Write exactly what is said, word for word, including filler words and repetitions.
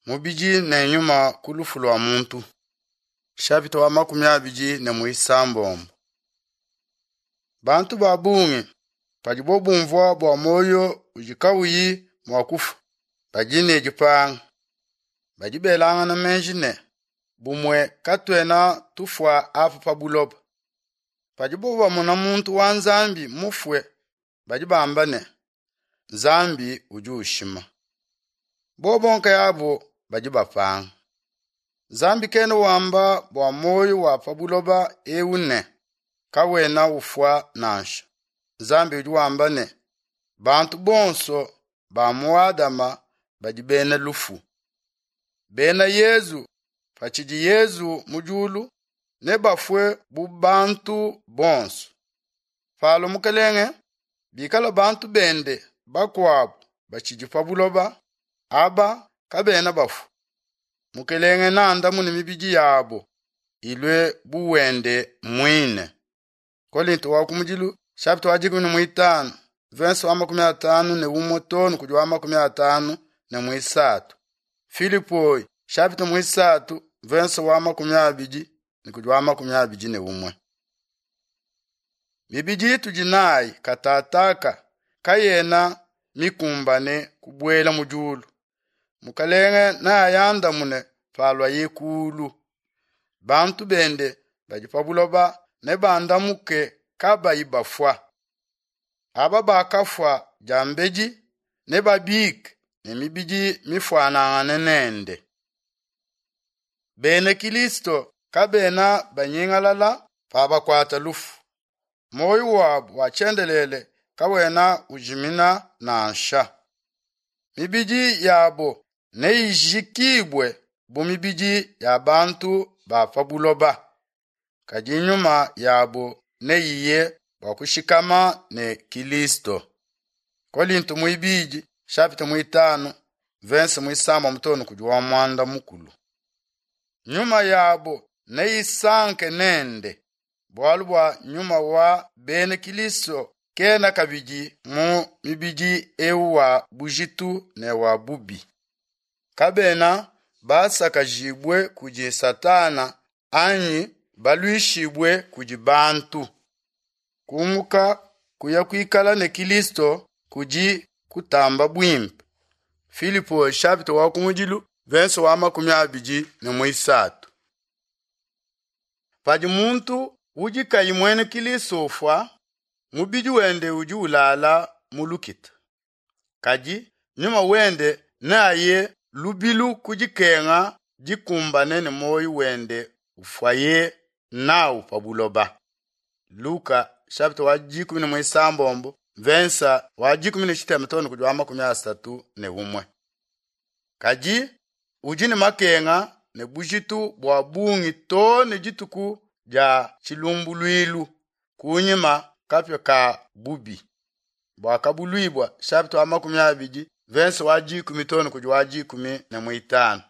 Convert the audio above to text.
Mubidi ne nyuma ku lufu lua muntu. Chapitre wa makumi abidi ne muisambombo. Bantu ba bungi padibo bumvua bua moyo udi kawuyi mua kufwa badi ne dipanga. Badi belangana meji ne bumue katuena tufwa apa pa buloba. Padibo bamona muntu wa Nzambi mufwe badi bamba ne Nzambi udi ushima. Bobo nkayabo badi bapanga. Nzambi kena wamba bua moyo wa pa buloba ewu ne kawena ufwa nansha. Nzambi udi wamba ne bantu bonso ba mu Adama badi bena lufu. Bena Yezu patshidi Yezu mu diulu nebafue bu bantu bonso. Palua mukelenge bikala bantu bende bakuabu batshidi pa buloba aba kabena bafua. Mukelenge neandamune mibidi yabo ilue bu wende muine. Kolinto wa kumudilu chapitre wa dikumi ne muitanu verse wa makumi atanu ne umue too ne kudi wa makumi atanu ne muisatu. Filipoi chapitre muisatu verse wa makumi abidi ne kudi wa makumi abidi ne umue. Mibidi itudi nayi katataka kayena mikumbane kubuela mu diulu. Mukelenge neayandamune paluaye kulu. Bantu bende badi pa buloba nebandamuke kabayi bafua. Aba bakafua diambedi nebabike ne mibidi mifuanangane nende. Bena Kilisto kabena banyingalala pabakuata lufu. Moyo wabu wa tshiendelele kawena ujimina nansha. Mibidi yabo neyijikibue bu mibidi ya bantu ba pa buloba. Kadi nyuma yabo neyiye bua kushikama ne Kilisto. Kolinto muibidi chapitre muitanu verse muisambombo too ne kudi wa muanda mukulu. Nyuma yabo neyisanke nende bualu bua nyuma wa bena Kilisto kena kabidi mu mibidi ewu wa bujitu ne wa bubi. Kabena basakajibue kudi Satana anyi baluishibue kudi bantu. Kumuka kuya kuikala ne Kilisto kudi kutamba buimpe. Filipo chapitre wa kumudilu verse wa makumi abidi ne muisatu. Padi muntu udi kayi muena Kilisto ufwa, mubidi wende udi ulala mu lukita. Kadi nyuma wende neaye lubilu ku dikenga dikumbane ne moyo wende ufuaye nawu pa buloba. Luka chapitre wa dikumi ne muisambombo verse wa dikumi ne tshitema too ne kudi wa makumi asatu ne umue. Kadi udi ne makenga ne bujitu bua bungi too ne dituku dia tshilumbuluilu kunyima kapia ka bubi. Buakabuluibua chapitre wa makumi abidi verse wa dikumi too ne kudi wa dikumi ne muitanu.